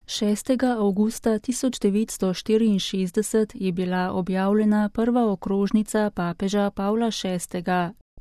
6. avgusta 1964 je bila objavljena prva okrožnica papeža Pavla VI.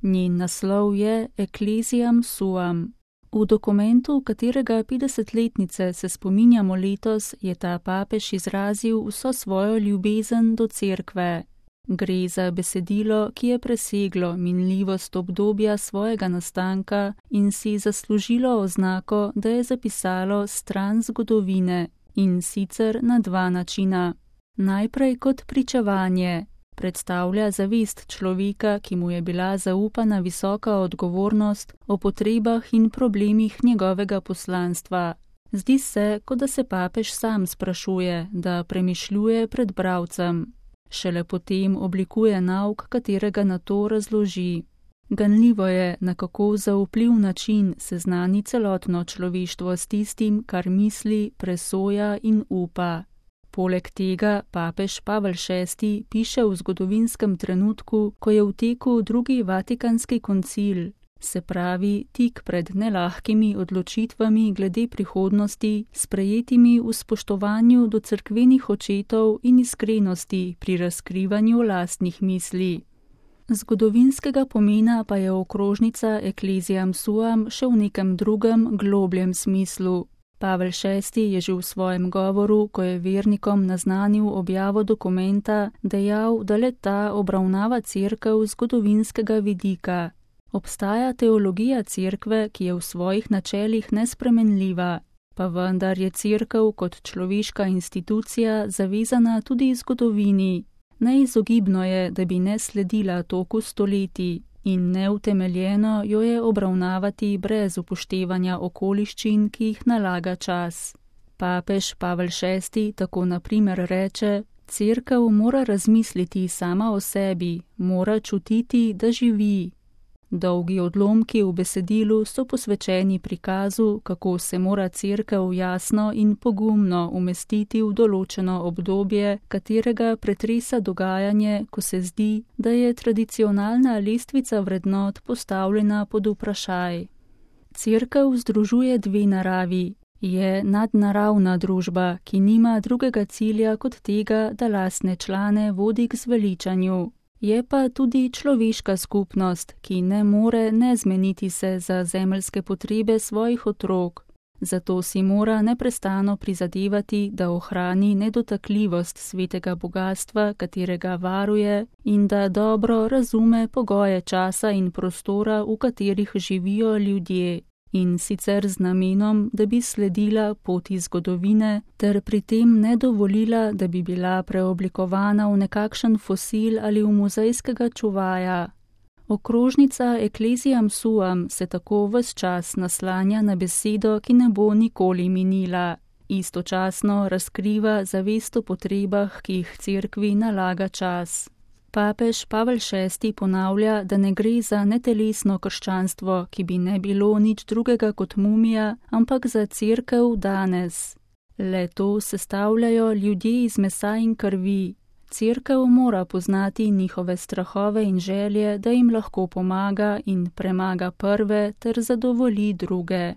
Njen naslov je Ecclesiam Suam. V dokumentu, katerega 50-letnice se spominjamo letos, je ta papež izrazil vso svojo ljubezen do cerkve. Gre za besedilo, ki je preseglo minljivost obdobja svojega nastanka in si zaslužilo oznako, da je zapisalo stran zgodovine, in sicer na dva načina. Najprej kot pričevanje. Predstavlja zavest človeka, ki mu je bila zaupana visoka odgovornost o potrebah in problemih njegovega poslanstva. Zdi se, kot da se papež sam sprašuje, da premišljuje pred bralcem. Šele potem oblikuje nauk, katerega na to razloži. Ganljivo je, na kako zaupljiv način seznani celotno človeštvo s tistim, kar misli, presoja in upa. Poleg tega papež Pavel VI piše v zgodovinskem trenutku, ko je v teku drugi vatikanski koncil, se pravi tik pred nelahkimi odločitvami glede prihodnosti, sprejetimi v spoštovanju do cerkvenih očetov in iskrenosti pri razkrivanju lastnih misli. Zgodovinskega pomena pa je okrožnica Ecclesiam Suam še v nekem drugem, globljem smislu. Pavel VI je že v svojem govoru, ko je vernikom naznanil objavo dokumenta, dejal, da le-ta obravnava cerkev z zgodovinskega vidika. Obstaja teologija cerkve, ki je v svojih načelih nespremenljiva, pa vendar je cerkev kot človeška institucija zavezana tudi zgodovini. Neizogibno je, da bi ne sledila toku stoletij, in neutemeljeno jo je obravnavati brez upoštevanja okoliščin, ki jih nalaga čas. Papež Pavel VI tako na primer reče: cerkev mora razmisliti sama o sebi, mora čutiti, da živi. Dolgi odlomki v besedilu so posvečeni prikazu, kako se mora cerkev jasno in pogumno umestiti v določeno obdobje, katerega pretresa dogajanje, ko se zdi, da je tradicionalna lestvica vrednot postavljena pod vprašaj. Cerkev združuje dve naravi. Je nadnaravna družba, ki nima drugega cilja kot tega, da lastne člane vodi k zveličanju. Je pa tudi človeška skupnost, ki ne more ne zmeniti se za zemeljske potrebe svojih otrok. Zato si mora neprestano prizadevati, da ohrani nedotakljivost svetega bogastva, katerega varuje, in da dobro razume pogoje časa in prostora, v katerih živijo ljudje. In sicer z namenom, da bi sledila poti zgodovine, ter pri tem ne dovolila, da bi bila preoblikovana v nekakšen fosil ali v muzejskega čuvaja. Okrožnica Ecclesiam Suam se tako ves čas naslanja na besedo, ki ne bo nikoli minila. Istočasno razkriva zavest o potrebah, ki jih cerkvi nalaga čas. Papež Pavel VI ponavlja, da ne gre za netelesno krščanstvo, ki bi ne bilo nič drugega kot mumija, ampak za cerkev danes. Le to sestavljajo ljudje iz mesa in krvi. Cerkev mora poznati njihove strahove in želje, da jim lahko pomaga in premaga prve ter zadovolji druge.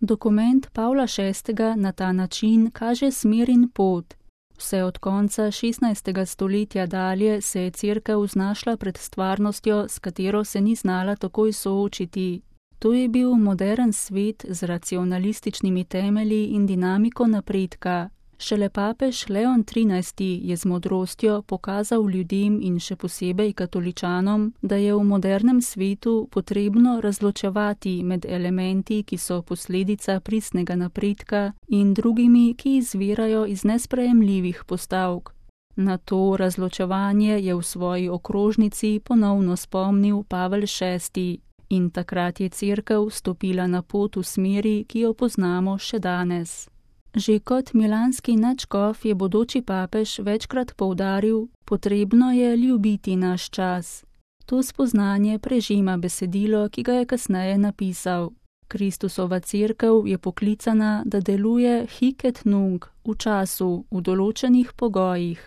Dokument Pavla VI na ta način kaže smer in pot. Vse od konca 16. stoletja dalje se je cerkev znašla pred stvarnostjo, s katero se ni znala takoj soočiti. To je bil modern svet z racionalističnimi temelji in dinamiko napredka. Šele papež Leon XIII je z modrostjo pokazal ljudem in še posebej katoličanom, da je v modernem svetu potrebno razločevati med elementi, ki so posledica pristnega napredka, in drugimi, ki izvirajo iz nesprejemljivih postavk. Na to razločevanje je v svoji okrožnici ponovno spomnil Pavel VI in takrat je cerkev stopila na pot v smeri, ki jo poznamo še danes. Že kot milanski nadškof je bodoči papež večkrat poudaril, potrebno je ljubiti naš čas. To spoznanje prežima besedilo, ki ga je kasneje napisal. Kristusova cerkev je poklicana, da deluje hic et nunc, v času, v določenih pogojih.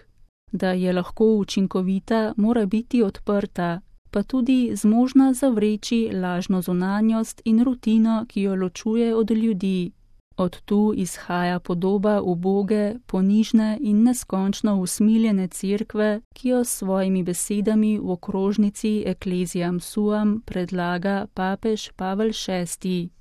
Da je lahko učinkovita, mora biti odprta, pa tudi zmožna zavreči lažno zunanjost in rutino, ki jo ločuje od ljudi. Od tu izhaja podoba uboge, ponižne in neskončno usmiljene cerkve, ki jo s svojimi besedami v okrožnici Ecclesiam Suam predlaga papež Pavel VI.